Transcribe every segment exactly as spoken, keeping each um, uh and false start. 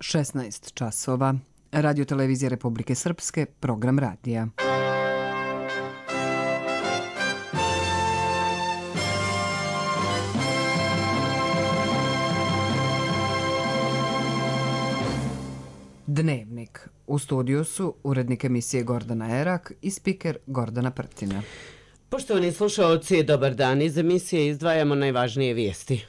šesnaest časova. Radio Televizija Republike Srpske, program radija. Dnevnik. U studiju su urednik emisije Gordana Erak i spiker Gordana Prtina. Poštovani slušaoci, dobar dan. Iz emisije izdvajamo najvažnije vijesti.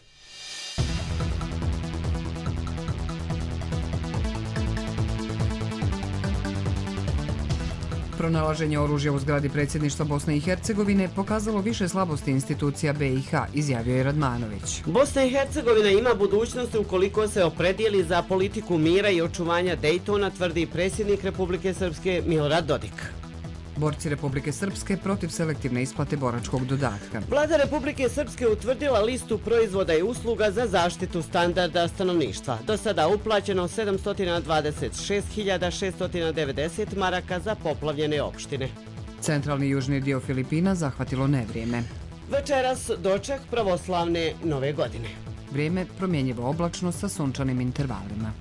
Pronalaženje oružja u zgradi predsjedništva Bosne i Hercegovine pokazalo više slabosti institucija B i H, izjavio je Radmanović. Bosna i Hercegovina ima budućnost ukoliko se opredijeli za politiku mira i očuvanja Dejtona, tvrdi predsjednik Republike Srpske Milorad Dodik. Borci Republike Srpske protiv selektivne isplate boračkog dodatka. Vlada Republike Srpske utvrdila listu proizvoda i usluga za zaštitu standarda stanovništva. Do sada uplaćeno sedamsto dvadeset šest hiljada šesto devedeset maraka za poplavljene opštine. Centralni i južni dio Filipina zahvatilo nevrijeme. Večeras doček pravoslavne nove godine. Vrijeme promjenjivo oblačno sa sunčanim intervalima.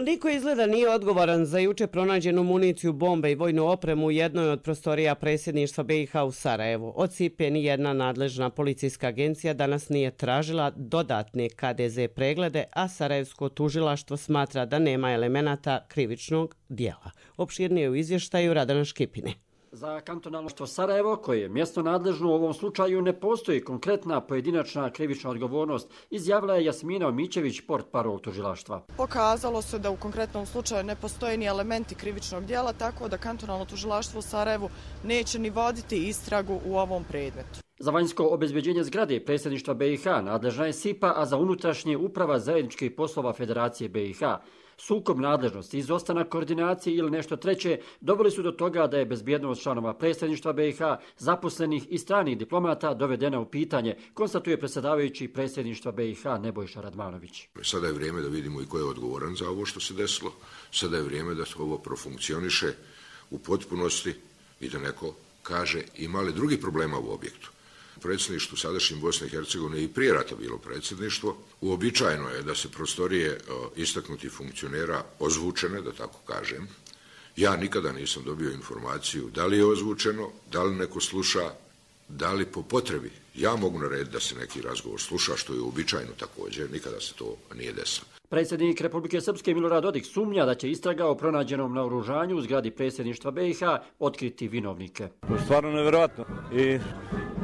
Niko izgleda nije odgovoran za juče pronađenu municiju, bombe i vojnu opremu u jednoj od prostorija predsjedništva B i H u Sarajevu. Od S I P E nijedna nadležna policijska agencija danas nije tražila dodatne K D Z preglede, a Sarajevsko tužilaštvo smatra da nema elemenata krivičnog dijela. Opširnije u izvještaju Radana Škipine. Za kantonalnoštvo Sarajevo, koje je mjesno nadležno u ovom slučaju, ne postoji konkretna pojedinačna krivična odgovornost, izjavila je Jasmina Omićević, portparol tužilaštva. Pokazalo se da u konkretnom slučaju ne postoje ni elementi krivičnog dijela, tako da kantonalno tužilaštvo u Sarajevu neće ni voditi istragu u ovom predmetu. Za vanjsko obezbeđenje zgrade predsjedništva B i H nadležna je S I P A, a za unutrašnje uprava zajedničkih poslova Federacije B i H. Sukob nadležnosti, izostanak koordinacije ili nešto treće doveli su do toga da je bezbjednost članova predsjedništva B i H, zaposlenih i stranih diplomata dovedena u pitanje, konstatuje predsjedavajući predsjedništva B i H Nebojša Radmanović. Sada je vrijeme da vidimo i ko je odgovoran za ovo što se desilo. Sada je vrijeme da ovo profunkcioniše u potpunosti i da neko kaže ima li drugih problema u objektu. Predsjedništvu sadašnjim Bosne i Hercegovine i prije rata bilo predsjedništvo. Uobičajeno je da se prostorije istaknutih funkcionera ozvučene, da tako kažem. Ja nikada nisam dobio informaciju da li je ozvučeno, da li neko sluša, da li po potrebi. Ja mogu narediti da se neki razgovor sluša, što je uobičajeno također, nikada se to nije desilo. Predsjednik Republike Srpske Milorad Dodik sumnja da će istraga o pronađenom naoružanju u zgradi predsjedništva B i H otkriti vinovnike. To je stvarno nevjerojatno i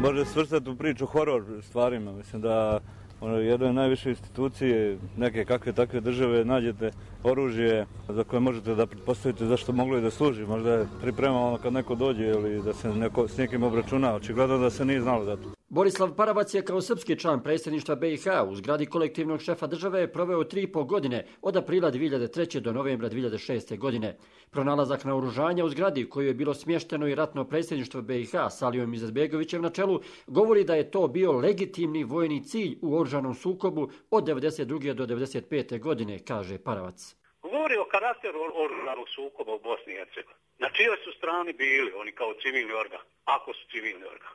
može svrstati u priču horor stvarima. Mislim da ono, jednoj najviše institucije, neke kakve takve države, nađete oružje za koje možete da pretpostavite zašto moglo i da služi. Možda je pripremano kad neko dođe ili da se neko s nekim obračuna. Očigledno da se nije znalo za to. Borislav Paravac je kao srpski član predsjedništva B i H u zgradi kolektivnog šefa države proveo tri i pol godine od aprila dvije hiljade treće. do novembra dvije hiljade šeste. godine. Pronalazak naoružanja u zgradi u kojoj je bilo smješteno i ratno predsjedništvo B i H s Alijom Izetbegovićem na čelu govori da je to bio legitimni vojni cilj u oružanom sukobu od devedeset druge. do devedeset pete. godine, kaže Paravac. Govori o karakteru oružanog sukoba u Bosni i Hercegovini. Na čijoj su strani bili oni kao civilni organ, ako su civilni organ.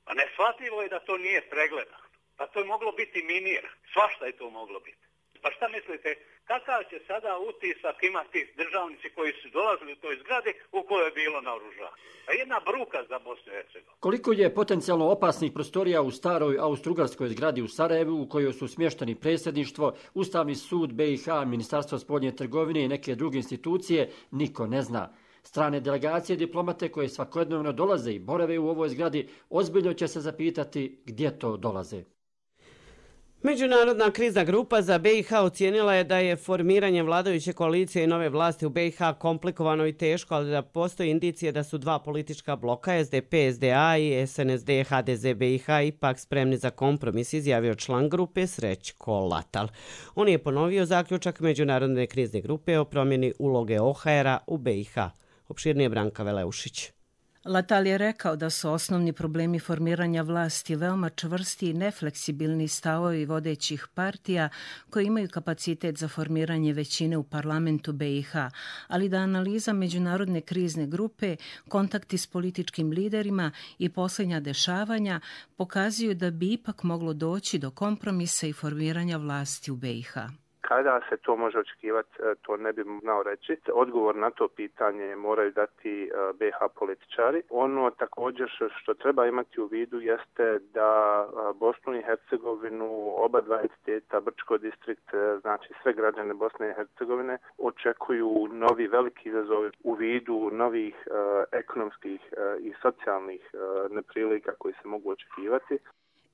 A neshvatljivo je da to nije pregledano. Pa to je moglo biti minir. Svašta je to moglo biti. Pa šta mislite, kakav će sada utisak imati državnici koji su dolazili u toj zgradi u kojoj je bilo naoružanje? Pa jedna bruka za Bosnu i Hercegovinu. Koliko je potencijalno opasnih prostorija u staroj austrougarskoj zgradi u Sarajevu u kojoj su smješteni predsjedništvo, Ustavni sud B i H, Ministarstvo spoljne trgovine i neke druge institucije, niko ne zna. Strane delegacije diplomate koje svakodnevno dolaze i borave u ovoj zgradi ozbiljno će se zapitati gdje to dolaze. Međunarodna krizna grupa za B i H ocijenila je da je formiranje vladajuće koalicije i nove vlasti u B i H komplikovano i teško, ali da postoji indicije da su dva politička bloka, S D P, S D A i S N S D, H D Z, B i H, ipak spremni za kompromis, izjavio član grupe Srećko Latal. On je ponovio zaključak Međunarodne krizne grupe o promjeni uloge O H R-a u B i H. Opširnije Branka Veleušić. Latal je rekao da su osnovni problemi formiranja vlasti veoma čvrsti i nefleksibilni stavovi vodećih partija koji imaju kapacitet za formiranje većine u parlamentu B i H, ali da analiza međunarodne krizne grupe, kontakti s političkim liderima i posljednja dešavanja pokazuju da bi ipak moglo doći do kompromisa i formiranja vlasti u B i H. Kada se to može očekivati, to ne bi znao reći. Odgovor na to pitanje moraju dati B i H političari. Ono također što treba imati u vidu jeste da Bosnu i Hercegovinu, oba dva entiteta, Brčko distrikt, znači sve građane Bosne i Hercegovine, očekuju novi veliki izazovi u vidu novih ekonomskih i socijalnih neprilika koji se mogu očekivati.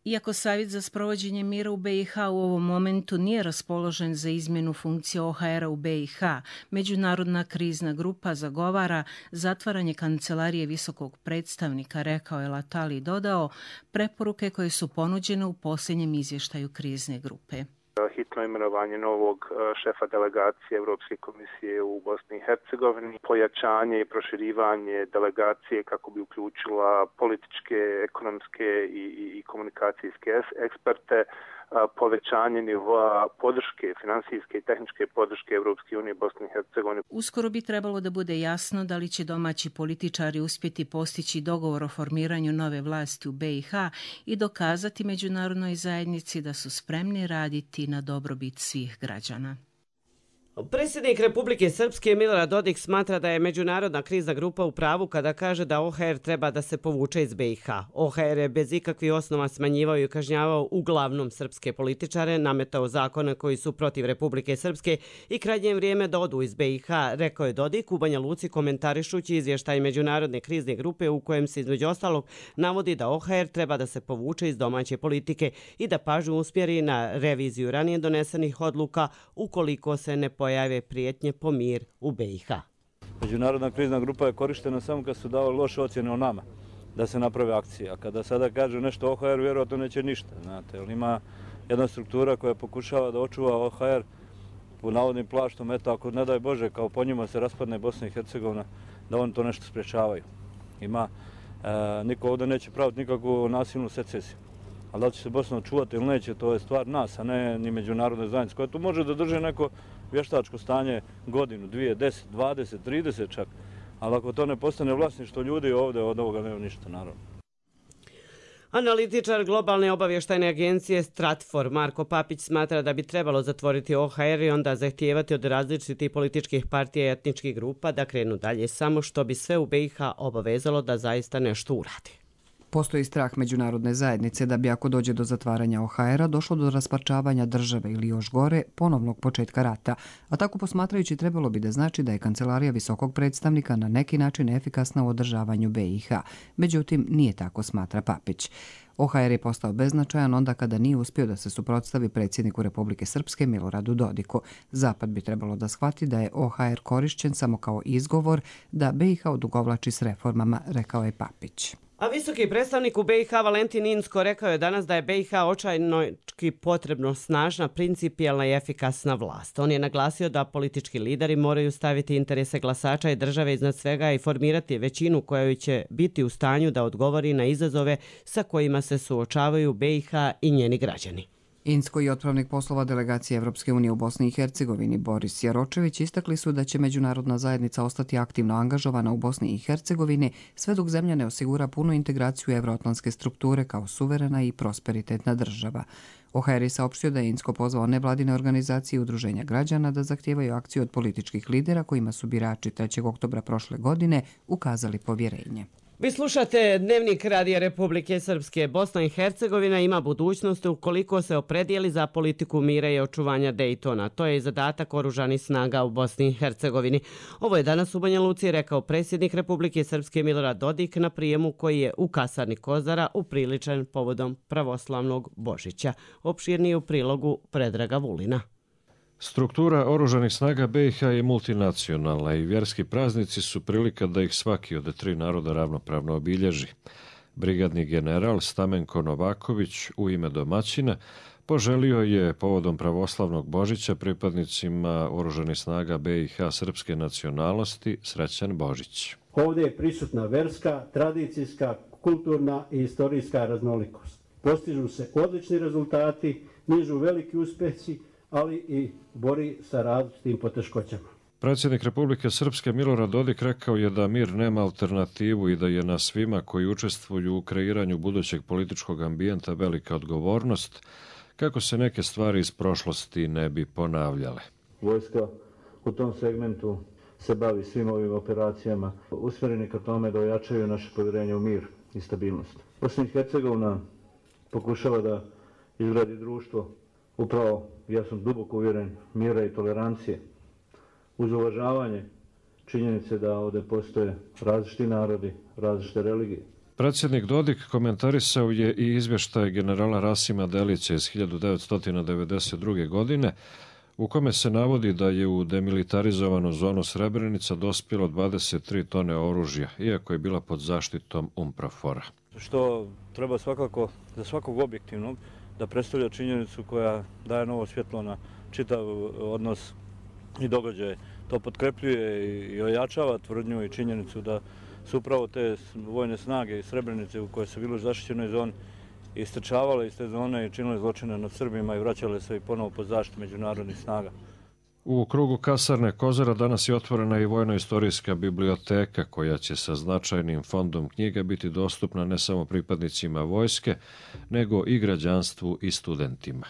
Iako Savjet za sprovođenje mira u B i H u ovom momentu nije raspoložen za izmjenu funkcije O H R-a u B i H, Međunarodna krizna grupa zagovara zatvaranje kancelarije visokog predstavnika, rekao je Latal i dodao preporuke koje su ponuđene u posljednjem izvještaju krizne grupe. Hitno imenovanje novog šefa delegacije Europske komisije u Bosni i Hercegovini, pojačanje i proširivanje delegacije kako bi uključila političke, ekonomske i, i, i komunikacijske eksperte, povećanje nivoa podrške, finansijske i tehničke podrške Europske unije Bosni i Hercegovine. Uskoro bi trebalo da bude jasno da li će domaći političari uspjeti postići dogovor o formiranju nove vlasti u B i H i dokazati međunarodnoj zajednici da su spremni raditi na dobrobit svih građana. Predsjednik Republike Srpske Milorad Dodik smatra da je međunarodna krizna grupa u pravu kada kaže da O H R treba da se povuče iz B i H. O H R je bez ikakvih osnova smanjivao i kažnjavao uglavnom srpske političare, nametao zakone koji su protiv Republike Srpske i krajnje vrijeme da odu iz B i H, rekao je Dodik u Banja Luci komentarišući izvještaj međunarodne krizne grupe u kojem se između ostalog navodi da O H R treba da se povuče iz domaće politike i da pažnju usmjeri na reviziju ranije donesenih odluka ukoliko se ne pojave prijetnje po mir u B i H. Međunarodna krizna grupa je korištena samo kad su davali loše ocjene o nama, da se naprave akcije. A kada sada kažu nešto O H R, vjerojatno neće ništa. Znate, jer ima jedna struktura koja pokušava da očuva O H R u navodnim plaštom, eto ako ne daj Bože, kao po njima se raspadne Bosna i Hercegovina, da oni to nešto sprečavaju. Ima, e, niko ovdje neće praviti nikakvu nasilnu secesiju. Ali da li će se Bosna očuvati ili neće, to je stvar nas, a ne ni međunarodne zajednice, koja tu može da drže neko vještačko stanje godinu, dvije, deset, dvadeset, trideset čak. Ali ako to ne postane vlasništvo ljudi ovdje, od ovoga nema ništa, naravno. Analitičar globalne obavještajne agencije Stratfor Marko Papić smatra da bi trebalo zatvoriti O H R i onda zahtijevati od različitih političkih partija i etničkih grupa da krenu dalje, samo što bi sve u B i H obavezalo da zaista nešto uradi. Postoji strah međunarodne zajednice da bi ako dođe do zatvaranja O H R-a došlo do rasparčavanja države ili još gore, ponovnog početka rata, a tako posmatrajući trebalo bi da znači da je kancelarija visokog predstavnika na neki način efikasna u održavanju B i H. Međutim, nije tako, smatra Papić. O H R je postao beznačajan onda kada nije uspio da se suprotstavi predsjedniku Republike Srpske Miloradu Dodiku. Zapad bi trebalo da shvati da je O H R korišćen samo kao izgovor da B i H odugovlači s reformama, rekao je Papić. A visoki predstavnik u B i H Valentin Inzko rekao je danas da je B i H očajnočki potrebno snažna, principijelna i efikasna vlast. On je naglasio da politički lideri moraju staviti interese glasača i države iznad svega i formirati većinu koja će biti u stanju da odgovori na izazove sa kojima se suočavaju B i H i njeni građani. Inzko i otpravnik poslova delegacije Evropske unije u Bosni i Hercegovini Boris Jaročević istakli su da će međunarodna zajednica ostati aktivno angažovana u Bosni i Hercegovini sve dok zemlja ne osigura punu integraciju evroatlantske strukture kao suverena i prosperitetna država. O H R je saopštio da je Inzko pozvao nevladine organizacije i udruženja građana da zahtijevaju akciju od političkih lidera kojima su birači trećeg oktobra prošle godine ukazali povjerenje. Vi slušate Dnevnik Radija Republike Srpske. Bosna i Hercegovina ima budućnost ukoliko se opredijeli za politiku mira i očuvanja Dejtona. To je i zadatak oružanih snaga u Bosni i Hercegovini. Ovo je danas u Banja Luci rekao predsjednik Republike Srpske Milorad Dodik na prijemu koji je u kasarni Kozara upriličen povodom pravoslavnog Božića. Opširnije u prilogu Predraga Vulina. Struktura oružanih snaga B i H je multinacionalna i vjerski praznici su prilika da ih svaki od tri naroda ravnopravno obilježi. Brigadni general Stamenko Novaković u ime domaćina poželio je povodom pravoslavnog Božića pripadnicima Oružanih snaga be i ha srpske nacionalnosti srećan Božić. Ovdje je prisutna verska, tradicijska, kulturna i istorijska raznolikost. Postižu se odlični rezultati, nižu veliki uspjesi, ali i bori sa različitim poteškoćama. Predsjednik Republike Srpske Milorad Dodik rekao je da mir nema alternativu i da je na svima koji učestvuju u kreiranju budućeg političkog ambijenta velika odgovornost kako se neke stvari iz prošlosti ne bi ponavljale. Vojska u tom segmentu se bavi svim ovim operacijama usmjereni ka tome da ojačaju naše povjerenje u mir i stabilnost. Bosna i Hercegovina pokušava da izgradi društvo upravo, ja sam duboko uvjeren, mira i tolerancije, uz uvažavanje činjenice da ovdje postoje različiti narodi, različite religije. Predsjednik Dodik komentarisao je i izvještaj generala Rasima Delića iz hiljadu devetsto devedeset druge. godine, u kome se navodi da je u demilitarizovanu zonu Srebrenica dospjelo dvadeset tri tone oružja, iako je bila pod zaštitom UNPROFOR-a. Što treba svakako za svakog objektivnog da predstavlja činjenicu koja daje novo svjetlo na čitav odnos i događaje. To potkrepljuje i ojačava tvrdnju i činjenicu da su upravo te vojne snage iz Srebrenice u koje su bili u zaštićenoj zoni istrčavale iz te zone i činile zločine nad Srbima i vraćale se i ponovo pod zaštitu međunarodnih snaga. U krugu kasarne Kozara danas je otvorena i vojno-istorijska biblioteka koja će sa značajnim fondom knjiga biti dostupna ne samo pripadnicima vojske, nego i građanstvu i studentima.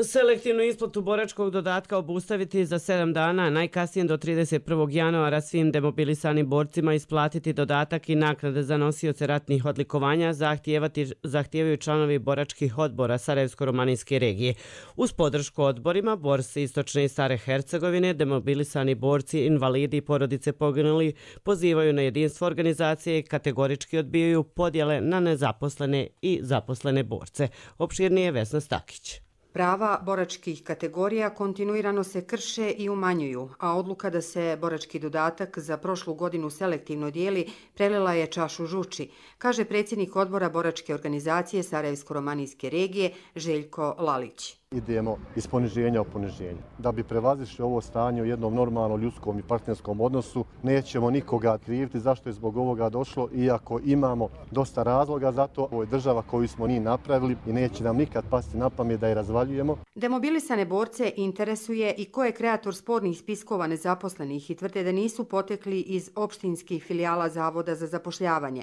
Selektivnu isplatu boračkog dodatka obustaviti za sedam dana, najkasnije do trideset prvog januara svim demobilisanim borcima isplatiti dodatak i naknade za nosioce ratnih odlikovanja zahtijevaju članovi boračkih odbora Sarajevsko-romanijske regije. Uz podršku odborima, borci Istočne i Stare Hercegovine, demobilisani borci, invalidi i porodice poginuli pozivaju na jedinstvo organizacije i kategorički odbijaju podjele na nezaposlene i zaposlene borce. Opširnije Vesna Stakić. Prava boračkih kategorija kontinuirano se krše i umanjuju, a odluka da se borački dodatak za prošlu godinu selektivno dijeli prelila je čašu žuči, kaže predsjednik odbora boračke organizacije Sarajevsko-romanijske regije Željko Lalić. Idemo iz poniženja u poniženje. Da bi prevazišli ovo stanje u jednom normalnom ljudskom i partnerskom odnosu, nećemo nikoga kriviti zašto je zbog ovoga došlo, iako imamo dosta razloga za to. Ovo je država koju smo mi napravili i neće nam nikad pasti na pamet da je razvaljujemo. Demobilisane borce interesuje i ko je kreator spornih spiskova nezaposlenih i tvrde da nisu potekli iz opštinskih filijala Zavoda za zapošljavanje.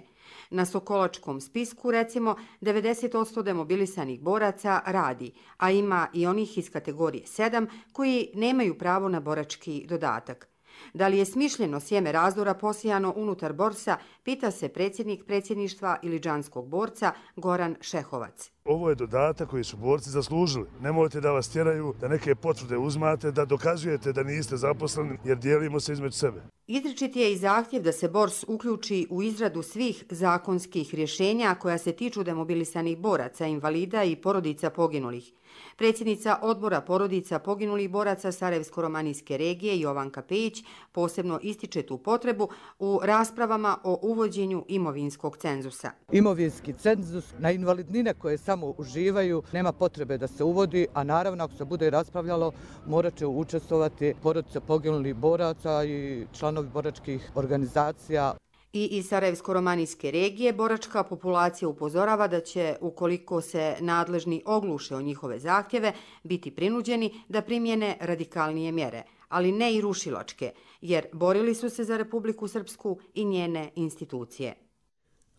Na Sokolačkom spisku, recimo, devedeset posto demobilisanih boraca radi, a ima i onih iz kategorije sedam koji nemaju pravo na borački dodatak. Da li je smišljeno sjeme razdora posijano unutar borsa, pita se predsjednik predsjedništva Iliđanskog borca Goran Šehovac. Ovo je dodatak koji su borci zaslužili. Nemojte da vas tjeraju, da neke potvrde uzmate, da dokazujete da niste zaposleni jer dijelimo se između sebe. Izričit je i zahtjev da se bors uključi u izradu svih zakonskih rješenja koja se tiču demobilisanih boraca, invalida i porodica poginulih. Predsjednica odbora porodica poginulih boraca Sarajevsko-romanijske regije Jovanka Pejić posebno ističe tu potrebu u raspravama o uvođenju imovinskog cenzusa. Imovinski cenzus na invalidnine koje samo uživaju nema potrebe da se uvodi, a naravno ako se bude raspravljalo morat će učestvovati porodice poginulih boraca i članovi boračkih organizacija. I iz Sarajevsko-romanijske regije boračka populacija upozorava da će, ukoliko se nadležni ogluše o njihove zahtjeve, biti prinuđeni da primjene radikalnije mjere, ali ne i rušilačke, jer borili su se za Republiku Srpsku i njene institucije.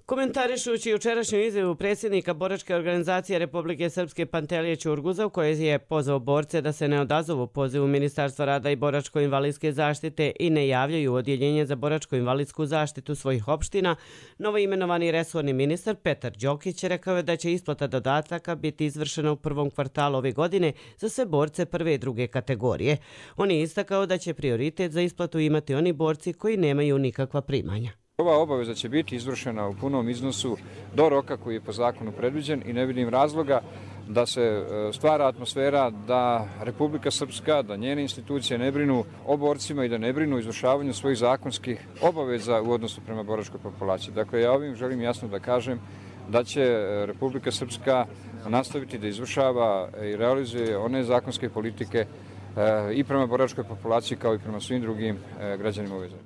Komentarišući jučerašnju izjavu predsjednika boračke organizacije Republike Srpske Pantelije Ćurguza, u kojoj je pozvao borce da se ne odazovu pozivu Ministarstva rada i boračko-invalidske zaštite i ne javljaju u odjeljenje za boračko-invalidsku zaštitu svojih opština, novoimenovani resorni ministar Petar Đokić rekao je da će isplata dodataka biti izvršena u prvom kvartalu ove godine za sve borce prve i druge kategorije. On je istakao da će prioritet za isplatu imati oni borci koji nemaju nikakva primanja. Ova obaveza će biti izvršena u punom iznosu do roka koji je po zakonu predviđen i ne vidim razloga da se stvara atmosfera da Republika Srpska, da njene institucije ne brinu o borcima i da ne brinu o izvršavanju svojih zakonskih obaveza u odnosu prema boračkoj populaciji. Dakle, ja ovim želim jasno da kažem da će Republika Srpska nastaviti da izvršava i realizuje one zakonske politike i prema boračkoj populaciji kao i prema svim drugim građanima ove zemlje.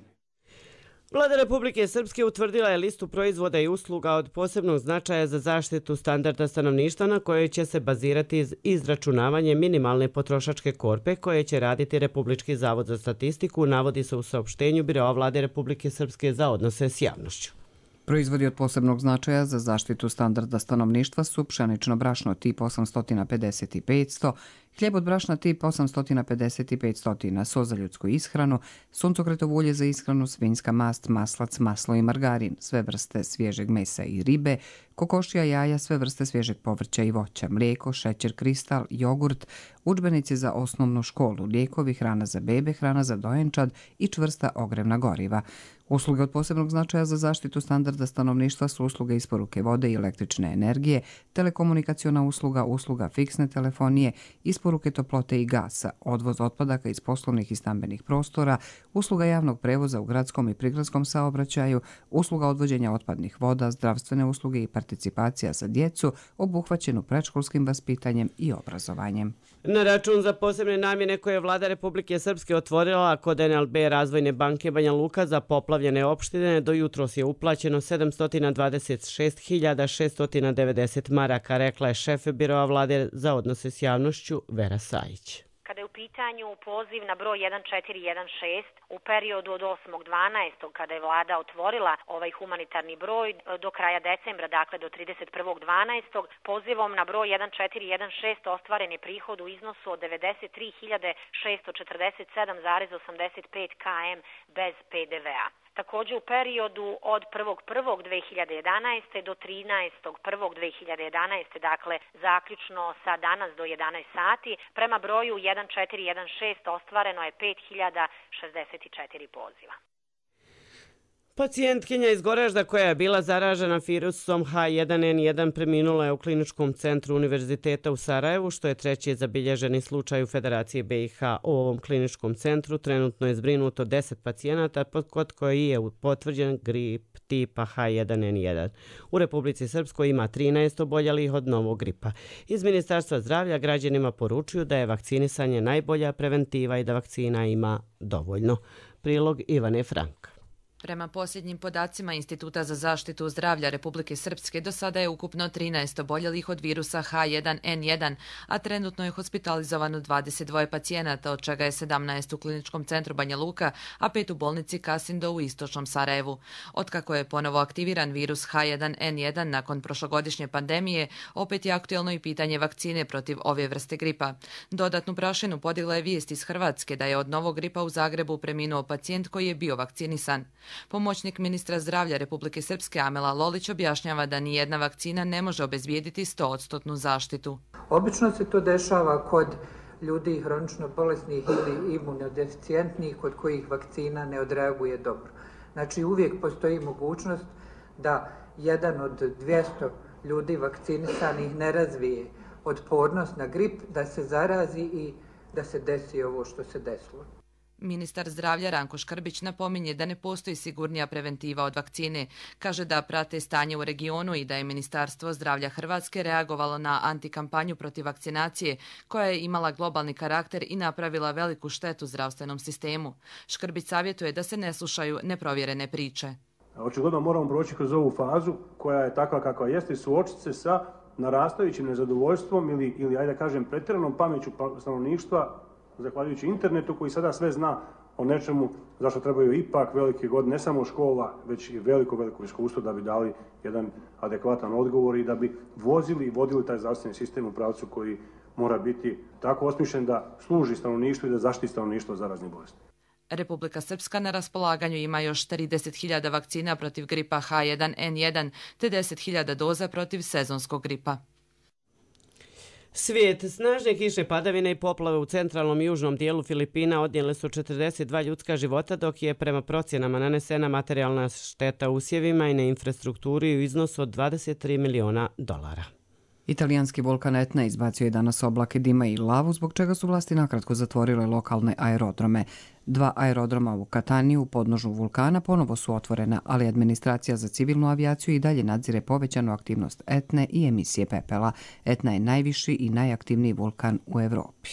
Vlada Republike Srpske utvrdila je listu proizvoda i usluga od posebnog značaja za zaštitu standarda stanovništva na kojoj će se bazirati izračunavanje minimalne potrošačke korpe koje će raditi Republički zavod za statistiku, navodi se u saopštenju Biroa Vlade Republike Srpske za odnose s javnošću. Proizvodi od posebnog značaja za zaštitu standarda stanovništva su pšenično brašno tip osamsto pedeset i petsto, hljeb od brašna tip osamsto pedeset i petsto, so za ljudsku ishranu, suncokretovo ulje za ishranu, svinjska mast, maslac, maslo i margarin, sve vrste svježeg mesa i ribe, kokošija, jaja, sve vrste svježeg povrća i voća, mlijeko, šećer, kristal, jogurt, udžbenici za osnovnu školu, lijekovi, hrana za bebe, hrana za dojenčad i čvrsta ogrevna goriva. Usluge od posebnog značaja za zaštitu standarda stanovništva su usluge isporuke vode i električne energije, telekomunikaciona usluga, usluga fiksne telefonije, isporuke toplote i gasa, odvoz otpadaka iz poslovnih i stambenih prostora, usluga javnog prevoza u gradskom i prigradskom saobraćaju, usluga odvođenja otpadnih voda, zdravstvene usluge i participacija za djecu obuhvaćenu predškolskim vaspitanjem i obrazovanjem. Na račun za posebne namjene koje je Vlada Republike Srpske otvorila kod en el be Razvojne banke Banja Luka za poplavljene opštine do jutros je uplaćeno sedamsto dvadeset šest hiljada šesto devedeset maraka, rekla je šef Biroa Vlade za odnose s javnošću Vera Sajić. Kada je u pitanju poziv na broj jedan četiri jedan šest u periodu od osmog dvanaestog kada je vlada otvorila ovaj humanitarni broj do kraja decembra, dakle do trideset prvog dvanaestog pozivom na broj jedan četiri jedan šest ostvaren je prihod u iznosu od devedeset tri hiljade šesto četrdeset sedam zarez osamdeset pet kilometara bez pe de ve a. Također u periodu od prvog prvog dve hiljade jedanaeste do trinaestog prvog dve hiljade jedanaeste, dakle zaključno sa danas do jedanaest sati, prema broju jedan četiri jedan šest ostvareno je pet hiljada šezdeset četiri poziva. Pacijentkinja iz Goražda koja je bila zaražena virusom ha jedan en jedan preminula je u Kliničkom centru Univerziteta u Sarajevu, što je treći zabilježeni slučaj u Federaciji be i ha. U ovom kliničkom centru trenutno je zbrinuto deset pacijenata kod koji je potvrđen grip tipa ha jedan en jedan. U Republici Srpskoj ima trinaest oboljelih od novog gripa. Iz Ministarstva zdravlja građanima poručuju da je vakcinisanje najbolja preventiva i da vakcina ima dovoljno. Prilog Ivane Frank. Prema posljednjim podacima Instituta za zaštitu zdravlja Republike Srpske do sada je ukupno trinaest oboljelih od virusa ha jedan en jedan, a trenutno je hospitalizovano dvadeset dva pacijenata, od čega je sedamnaest u Kliničkom centru Banja Luka, a pet u bolnici Kasindo u istočnom Sarajevu. Otkako je ponovo aktiviran virus ha jedan en jedan nakon prošlogodišnje pandemije, opet je aktuelno i pitanje vakcine protiv ove vrste gripa. Dodatnu prašinu podigla je vijest iz Hrvatske da je od novog gripa u Zagrebu preminuo pacijent koji je bio vakcinisan. Pomoćnik ministra zdravlja Republike Srpske Amela Lolić objašnjava da nijedna vakcina ne može obezbijediti sto posto zaštitu. Obično se to dešava kod ljudi hronično bolesnih ili imunodeficijentnih kod kojih vakcina ne odreaguje dobro. Znači uvijek postoji mogućnost da jedan od dvjesto ljudi vakcinisanih ne razvije otpornost na grip, da se zarazi i da se desi ovo što se desilo. Ministar zdravlja Ranko Škrbić napominje da ne postoji sigurnija preventiva od vakcine. Kaže da prate stanje u regionu i da je Ministarstvo zdravlja Hrvatske reagovalo na antikampanju protiv vakcinacije koja je imala globalni karakter i napravila veliku štetu zdravstvenom sistemu. Škrbić savjetuje da se ne slušaju neprovjerene priče. Očigledno moramo proći kroz ovu fazu koja je takva kakva jeste i suočiti se sa narastajućim nezadovoljstvom ili, ili ajde da kažem, pretjeranom pameću stanovništva zahvaljujući internetu koji sada sve zna o nečemu zašto trebaju ipak velike godine, ne samo škola, već i veliko, veliko iskustvo da bi dali jedan adekvatan odgovor i da bi vozili i vodili taj zdravstveni sistem u pravcu koji mora biti tako osmišljen da služi stanovništvu i da zaštiti stanovništvo od zaraznih bolesti. Republika Srpska na raspolaganju ima još trideset hiljada vakcina protiv gripa ha jedan en jedan te deset hiljada doza protiv sezonskog gripa. Svijet, snažne kišne padavine i poplave u centralnom i južnom dijelu Filipina odnijele su četrdeset dva ljudska života, dok je prema procjenama nanesena materijalna šteta usjevima i na infrastrukturi u iznosu od dvadeset tri miliona dolara. Italijanski vulkan Etna izbacio je danas oblake dima i lavu, zbog čega su vlasti nakratko zatvorile lokalne aerodrome. Dva aerodroma u Kataniji u podnožju vulkana ponovo su otvorena, ali administracija za civilnu avijaciju i dalje nadzire povećanu aktivnost Etne i emisije pepela. Etna je najviši i najaktivniji vulkan u Evropi.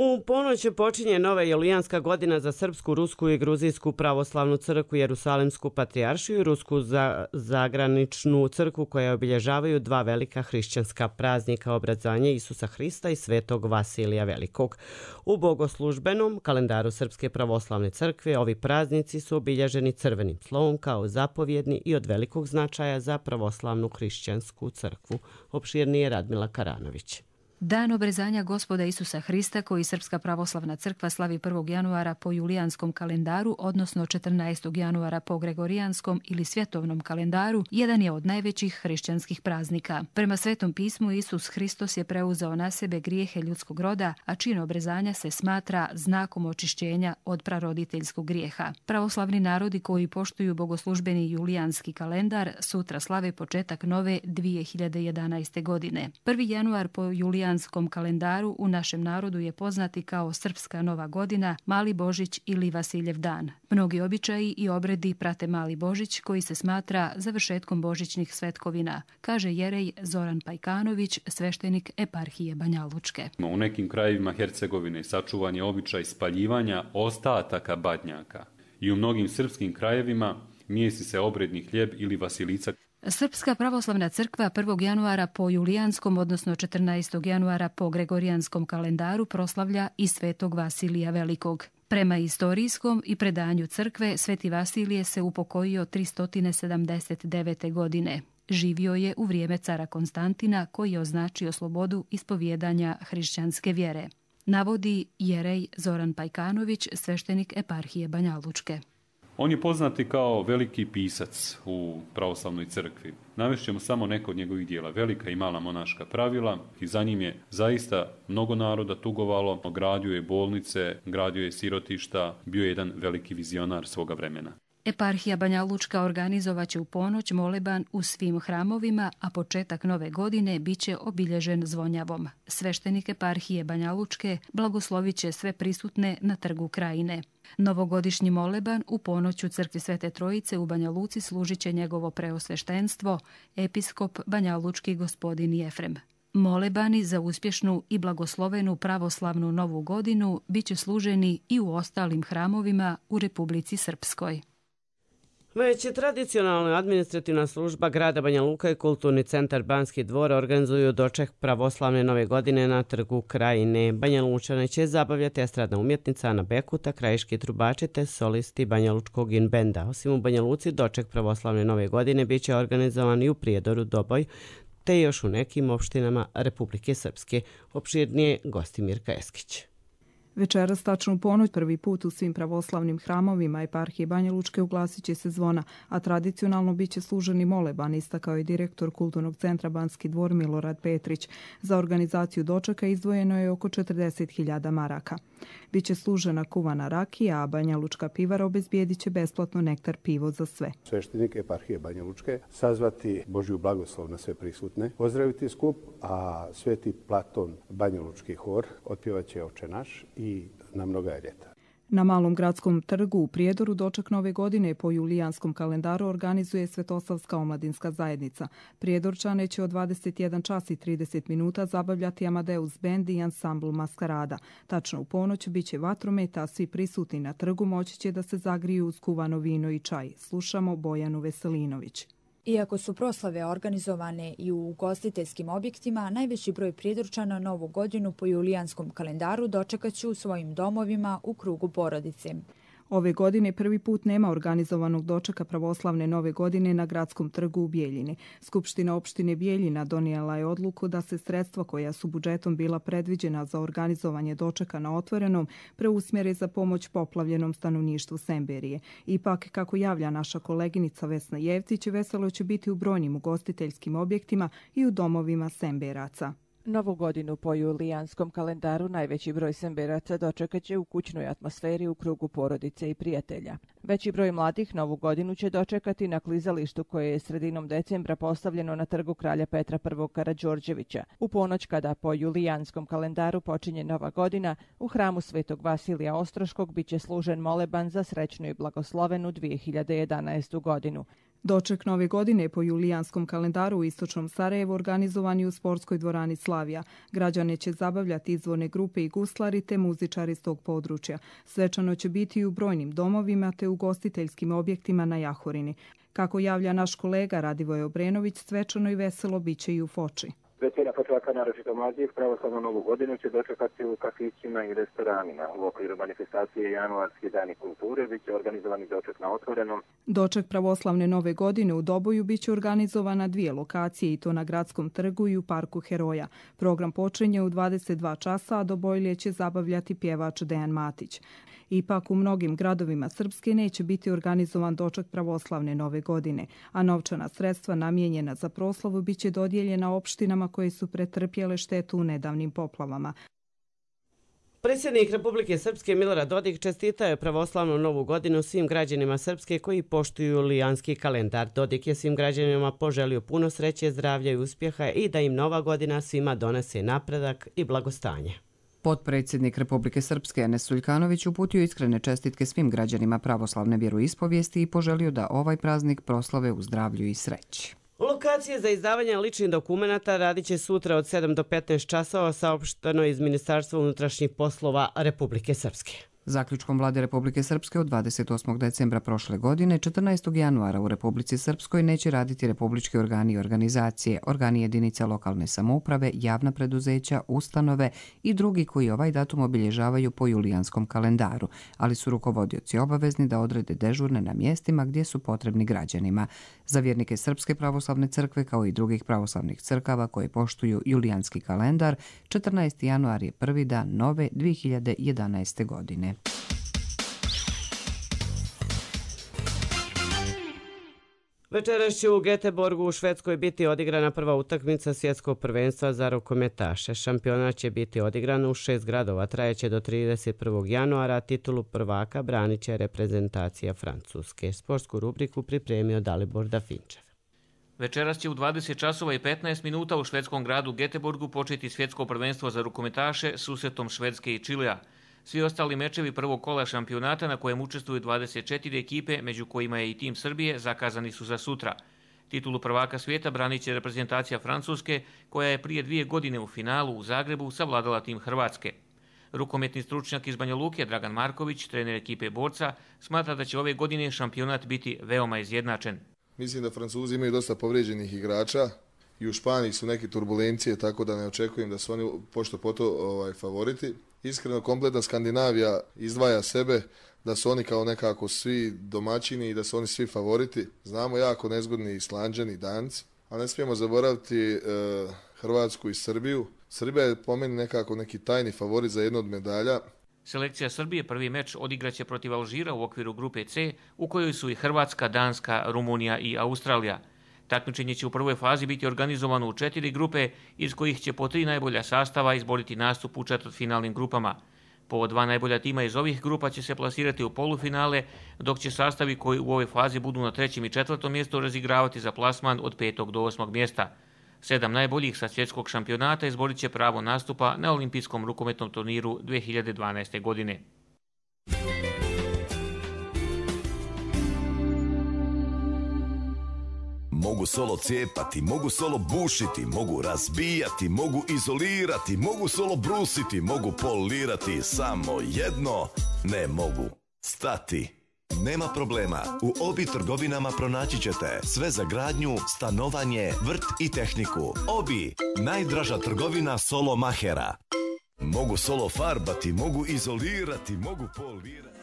U ponoć počinje nova julijanska godina za Srpsku, Rusku i Gruzijsku pravoslavnu crkvu, Jerusalemsku patrijaršiju i Rusku za, zagraničnu crkvu, koja obilježavaju dva velika hrišćanska praznika, obrazovanje Isusa Hrista i Svetog Vasilija Velikog. U bogoslužbenom kalendaru Srpske pravoslavne crkve ovi praznici su obilježeni crvenim slovom kao zapovjedni i od velikog značaja za pravoslavnu hrišćansku crkvu. Opširnije Radmila Karanović. Dan obrezanja Gospoda Isusa Hrista, koji Srpska pravoslavna crkva slavi prvog januara po julijanskom kalendaru, odnosno četrnaestog januara po gregorijanskom ili svjetovnom kalendaru, jedan je od najvećih hrišćanskih praznika. Prema Svetom pismu, Isus Hristos je preuzeo na sebe grijehe ljudskog roda, a čin obrezanja se smatra znakom očišćenja od praroditeljskog grijeha. Pravoslavni narodi koji poštuju bogoslužbeni julijanski kalendar sutra slave početak nove dvije hiljade jedanaeste. godine. prvi januar po julijanskom kalendaru u našem narodu je poznati kao Srpska nova godina, Mali Božić ili Vasiljev dan. Mnogi običaji i obredi prate Mali Božić, koji se smatra završetkom božićnih svetkovina, kaže jerej Zoran Pajkanović, sveštenik eparhije Banja Lučke. U nekim krajevima Hercegovine sačuvan je običaj spaljivanja ostataka badnjaka i u mnogim srpskim krajevima mijesi se obredni hljeb ili vasilica. Srpska pravoslavna crkva prvog januara po julijanskom, odnosno četrnaestog januara po gregorijanskom kalendaru proslavlja i Svetog Vasilija Velikog. Prema istorijskom i predanju crkve, Sveti Vasilije se upokojio tristo sedamdeset devete. godine. Živio je u vrijeme cara Konstantina, koji je označio slobodu ispovjedanja hrišćanske vjere. Navodi jerej Zoran Pajkanović, sveštenik eparhije Banja Lučke. On je poznati kao veliki pisac u pravoslavnoj crkvi. Navešćemo samo neko od njegovih dijela, Velika i mala monaška pravila, i za njim je zaista mnogo naroda tugovalo, gradio je bolnice, gradio je sirotišta, bio je jedan veliki vizionar svoga vremena. Eparhija Banja Lučka organizovaće u ponoć moleban u svim hramovima, a početak nove godine biće obilježen zvonjavom. Sveštenik eparhije Banja Lučke blagoslovit će sve prisutne na trgu Krajine. Novogodišnji moleban u ponoć u crkvi Svete Trojice u Banja Luci služit će njegovo preosveštenstvo, episkop Banja Lučki gospodin Jefrem. Molebani za uspješnu i blagoslovenu pravoslavnu novu godinu biće služeni i u ostalim hramovima u Republici Srpskoj. Već je tradicionalna administrativna služba grada Banja Luka i kulturni centar Banski dvor organizuju doček pravoslavne nove godine na trgu Krajine. Banja Lučane će zabavljati estradna umjetnica Ana Bekuta, krajiški trubači te solisti Banja Lučkog in benda. Osim u Banja Luci, doček pravoslavne nove godine bit će organizovan i u Prijedoru, Doboj, te još u nekim opštinama Republike Srpske. Opširnije Gostimirka Eskić. Večeras tačno u ponoć prvi put u svim pravoslavnim hramovima eparhije Banja Lučke uglasit će se zvona, a tradicionalno bit će služeni moleban, istakao je direktor kulturnog centra Banski dvor Milorad Petrić. Za organizaciju dočeka izdvojeno je oko četrdeset hiljada maraka. Biće služena kuvana rakija, a Banja Lučka pivara obezbijedit će besplatno nektar pivo za sve. Sveštenik eparhije Banja Lučke sazvati Božju blagoslov na sve prisutne, pozdraviti skup, a Sveti Platon Banja Lučki hor otpjevaće Oče naš i Na mnoga je ljeta. Na Malom gradskom trgu u Prijedoru doček nove godine po julijanskom kalendaru organizuje Svetosavska omladinska zajednica. Prijedorčane će od dvadeset jedan čas i trideset minuta zabavljati Amadeus bend i ansambl Maskarada. Tačno u ponoć biće vatrometa, a svi prisutni na trgu moći će da se zagriju uz kuvano vino i čaj. Slušamo Bojanu Veselinović. Iako su proslave organizovane i u ugostiteljskim objektima, najveći broj Prijedorčana novu godinu po julijanskom kalendaru dočekat će u svojim domovima u krugu porodice. Ove godine prvi put nema organizovanog dočeka pravoslavne nove godine na gradskom trgu u Bijeljini. Skupština opštine Bijeljina donijela je odluku da se sredstva koja su budžetom bila predviđena za organizovanje dočeka na otvorenom preusmjere za pomoć poplavljenom stanovništvu Semberije. Ipak, kako javlja naša koleginica Vesna Jevtić, veselo će biti u brojnim ugostiteljskim objektima i u domovima Semberaca. Novu godinu po julijanskom kalendaru najveći broj semberaca dočekat će u kućnoj atmosferi u krugu porodice i prijatelja. Veći broj mladih Novu godinu će dočekati na klizalištu koje je sredinom decembra postavljeno na trgu kralja Petra prvog Karađorđevića. U ponoć kada po julijanskom kalendaru počinje Nova godina, u hramu Svetog Vasilija Ostroškog biće služen moleban za srećnu i blagoslovenu dvije hiljade jedanaestu godinu. Doček Nove godine po julijanskom kalendaru u istočnom Sarajevu organizovan je u sportskoj dvorani Slavija. Građane će zabavljati izvorne grupe i guslari te muzičari s tog područja. Svečano će biti i u brojnim domovima te u gostiteljskim objektima na Jahorini. Kako javlja naš kolega Radivoj Obrenović, svečano i veselo biće i u Foči. Većina Fočaka, naročito mladih, pravoslavnu Novu godinu će dočekati u kafićima i restoranima. U okviru manifestacije Januarski dani kulture bit će organizovani doček na otvorenom. Doček pravoslavne Nove godine u Doboju bit će organizovan na dvije lokacije, i to na Gradskom trgu i u Parku Heroja. Program počinje u dvadeset dva časa, a Dobojlije će zabavljati pjevač Dejan Matić. Ipak u mnogim gradovima Srpske neće biti organizovan doček pravoslavne Nove godine, a novčana sredstva namijenjena za proslavu biće dodijeljena opštinama koje su pretrpjele štetu u nedavnim poplavama. Predsjednik Republike Srpske Milorad Dodik čestitao je pravoslavnu Novu godinu svim građanima Srpske koji poštuju julijanski kalendar. Dodik je svim građanima poželio puno sreće, zdravlja i uspjeha i da im Nova godina svima donese napredak i blagostanje. Potpredsjednik Republike Srpske Enes Suljkanović uputio iskrene čestitke svim građanima pravoslavne vjeroispovijesti i poželio da ovaj praznik proslave u zdravlju i sreći. Lokacije za izdavanje ličnih dokumenata radit će sutra od sedam do petnaest časova, saopšteno iz Ministarstva unutrašnjih poslova Republike Srpske. Zaključkom Vlade Republike Srpske od dvadeset osmog decembra prošle godine, četrnaestog januara u Republici Srpskoj neće raditi republički organi i organizacije, organi jedinica lokalne samouprave, javna preduzeća, ustanove i drugi koji ovaj datum obilježavaju po julijanskom kalendaru, ali su rukovodioci obavezni da odrede dežurne na mjestima gdje su potrebni građanima. Za vjernike Srpske pravoslavne crkve kao i drugih pravoslavnih crkava koje poštuju julijanski kalendar, četrnaesti januar je prvi dan nove dvije hiljade jedanaeste godine. Večeras će u Göteborgu u Švedskoj biti odigrana prva utakmica svjetskog prvenstva za rukometaše. Šampionat će biti odigran u šest gradova, trajeće do trideset prvog januara, titulu prvaka branit će reprezentacija Francuske. Sportsku rubriku pripremio Dalibor Dafinčev. Večeras će u dvadeset časova i petnaest minuta u švedskom gradu Göteborgu početi svjetsko prvenstvo za rukometaše susretom Švedske i Čilea. Svi ostali mečevi prvog kola šampionata na kojem učestvuju dvadeset četiri ekipe, među kojima je i tim Srbije, zakazani su za sutra. Titulu prvaka svijeta branit će reprezentacija Francuske, koja je prije dvije godine u finalu u Zagrebu savladala tim Hrvatske. Rukometni stručnjak iz Banja Luke Dragan Marković, trener ekipe borca, smatra da će ove godine šampionat biti veoma izjednačen. Mislim da Francuzi imaju dosta povrijeđenih igrača i u Španiji su neke turbulencije, tako da ne očekujem da su oni pošto poto ovaj, favoriti. Iskreno, kompletna Skandinavija izdvaja sebe, da su oni kao nekako svi domaćini i da su oni svi favoriti. Znamo jako nezgodni Islanđani i Danci, a ne smijemo zaboraviti e, Hrvatsku i Srbiju. Srbija je po meni nekako neki tajni favorit za jednu od medalja. Selekcija Srbije prvi meč odigraće protiv Alžira u okviru grupe C, u kojoj su i Hrvatska, Danska, Rumunija i Australija. Takmičenje će u prvoj fazi biti organizovano u četiri grupe, iz kojih će po tri najbolja sastava izboriti nastup u četvrtfinalnim grupama. Po dva najbolja tima iz ovih grupa će se plasirati u polufinale, dok će sastavi koji u ovoj fazi budu na trećem i četvrtom mjestu razigravati za plasman od petog do osmog mjesta. Sedam najboljih sa svjetskog šampionata izborit će pravo nastupa na olimpijskom rukometnom turniru dvije hiljade dvanaeste. godine. Mogu solo cijepati, mogu solo bušiti, mogu razbijati, mogu izolirati, mogu solo brusiti, mogu polirati, samo jedno ne mogu stati. Nema problema, u Obi trgovinama pronaći ćete sve za gradnju, stanovanje, vrt i tehniku. Obi, najdraža trgovina solo mahera. Mogu solo farbati, mogu izolirati, mogu polirati.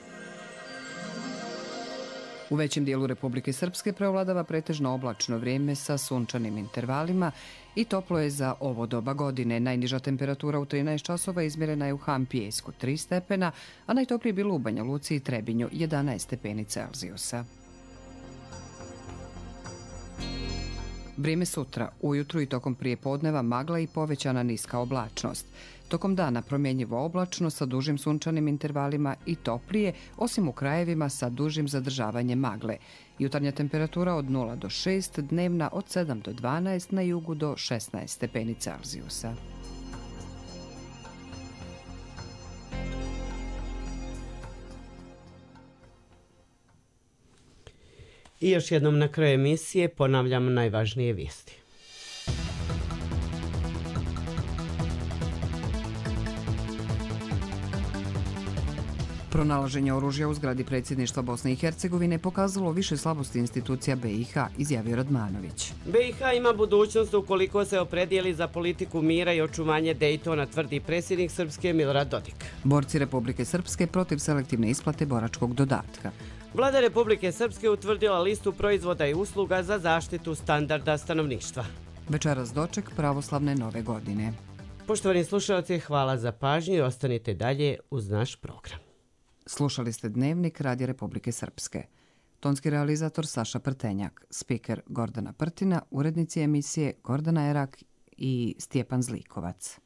U većem dijelu Republike Srpske preovladava pretežno oblačno vrijeme sa sunčanim intervalima i toplo je za ovo doba godine. Najniža temperatura u trinaest časova izmjerena je u Hampijesku tri stepena, a najtoplije je bilo u Banja Luci i Trebinju jedanaest stepeni Celzijusa. Vrijeme sutra, ujutru i tokom prijepodneva magla i povećana niska oblačnost. Tokom dana promjenjivo oblačno sa dužim sunčanim intervalima i toplije, osim u krajevima sa dužim zadržavanjem magle. Jutarnja temperatura od nula do šest, dnevna od sedam do dvanaest, na jugu do šesnaest stepeni Celzijusa. I još jednom na kraju emisije ponavljamo najvažnije vijesti. Pronalaženje oružja u zgradi predsjedništva Bosne i Hercegovine pokazalo više slabosti institucija B i H, izjavio Radmanović. B i H ima budućnost ukoliko se opredijeli za politiku mira i očuvanje Dejtona, tvrdi predsjednik Srpske Milorad Dodik. Borci Republike Srpske protiv selektivne isplate boračkog dodatka. Vlada Republike Srpske utvrdila listu proizvoda i usluga za zaštitu standarda stanovništva. Večeras doček pravoslavne nove godine. Poštovani slušalci, hvala za pažnju i ostanite dalje uz naš program. Slušali ste Dnevnik Radija Republike Srpske. Tonski realizator Saša Prtenjak, spiker Gordana Prtina, urednici emisije Gordana Erak i Stjepan Zlikovac.